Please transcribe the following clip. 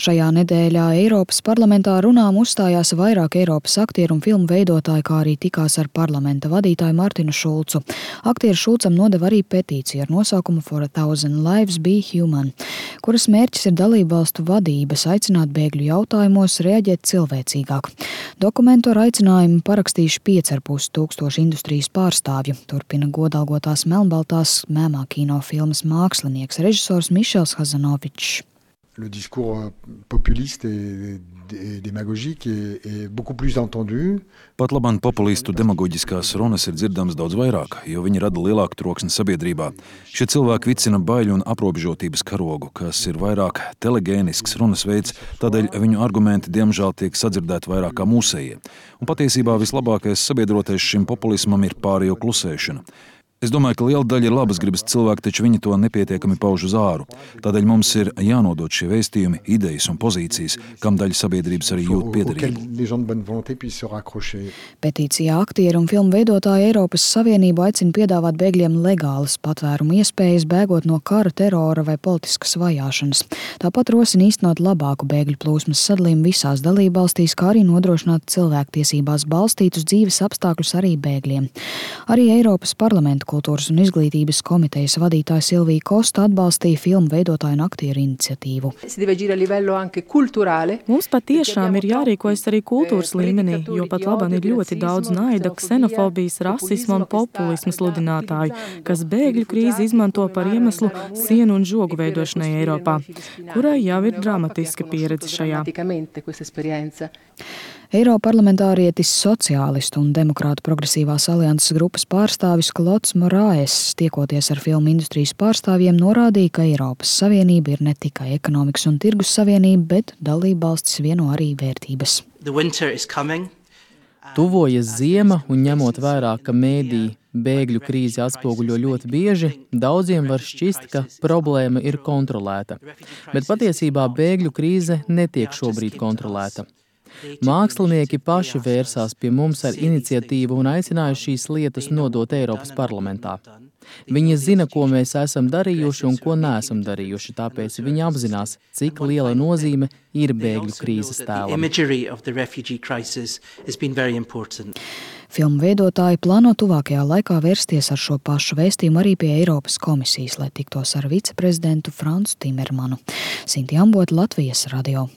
Šajā nedēļā Eiropas parlamentā runām uzstājās vairāk Eiropas aktieru un filmu veidotāji, kā arī tikās ar parlamenta vadītāju Martinu Šulcu. Aktieris Šulcam nodeva arī petīciju ar nosaukumu For a Thousand Lives Be Human, kuras mērķis ir dalībvalstu vadības aicināt bēgļu jautājumos reaģēt cilvēcīgāk. Dokumentu ar aicinājumu parakstījuši 5,5 tūkstoši industrijas pārstāvju, turpina godalgotās melnbaltās mēmā kino filmas mākslinieks, režisors Mišels Hazanovičs. Le discours populiste et démagogique est beaucoup plus entendu. Pat labāk populistu demagoģiskās runas ir dzirdamas daudz vairāk, jo viņi rada lielāku troksni sabiedrībā. Šie cilvēki vicina baiļu un aprobežotības karogu, kas ir vairāk telegēnisks runas veids, tādēļ viņu argumenti diemžēl tiek sadzirdēti vairāk kā mūsējie. Un patiesībā vislabākais sabiedrotais šim populismam ir pārējo klusēšana. Es domāju, ka liela daļa ir labas gribas cilvēki, taču viņi to nepietiekami pauž uz āru. Tādēļ mums ir jānodod šie vēstījumi, idejas un pozīcijas, kam daļa sabiedrības arī jūt piederību. Petīcijā aktieri un filmu veidotāji Eiropas Savienību aicina piedāvāt bēgļiem legālas patvērumu iespējas, bēgot no kara, terora vai politiskas vajāšanas. Tāpat rosina īstenot labāku bēgļu plūsmas sadalījumu visās dalībvalstīs, kā arī nodrošināt cilvēktiesībās balstītus dzīves apstākļus arī bēgļiem. Arī Eiropas parlamenta Kultūras un izglītības komitejas vadītāja Silvija Kosta atbalstīja filmu veidotāju un aktieru iniciatīvu. Mums patiešām ir jārīkojas arī kultūras līmenī, jo pat labāk ir ļoti daudz naida, ksenofobijas, rasisma un populisma sludinātāju, kas bēgļu krīzi izmanto par iemeslu sienu un žogu veidošanai Eiropā, kurai jau ir dramatiska pieredze šajā. Eiroparlamentārietis sociālistu un demokrātu progresīvās alianses grupas pārstāvis Klods Moraes, tiekoties ar filmu industrijas pārstāvjiem, norādīja, ka Eiropas Savienība ir ne tikai ekonomikas un tirgus savienība, bet dalībvalstis vieno arī vērtības. Tuvojas ziema un ņemot vērā, ka mēdī bēgļu krīzi atspoguļo ļoti bieži, daudziem var šķist, ka problēma ir kontrolēta. Bet patiesībā bēgļu krīze netiek šobrīd kontrolēta. Mākslinieki paši vērsās pie mums ar iniciatīvu un aicināja šīs lietas nodot Eiropas parlamentā. Viņi zina, ko mēs esam darījuši un ko neesam darījuši, tāpēc viņi apzinās, cik liela nozīme ir bēgļu krīzes tēlam. Filmu veidotāji plāno tuvākajā laikā vērsties ar šo pašu vēstījumu arī pie Eiropas komisijas, lai tiktos ar viceprezidentu Francu Timermanu. Sinti Ambota, Latvijas radio.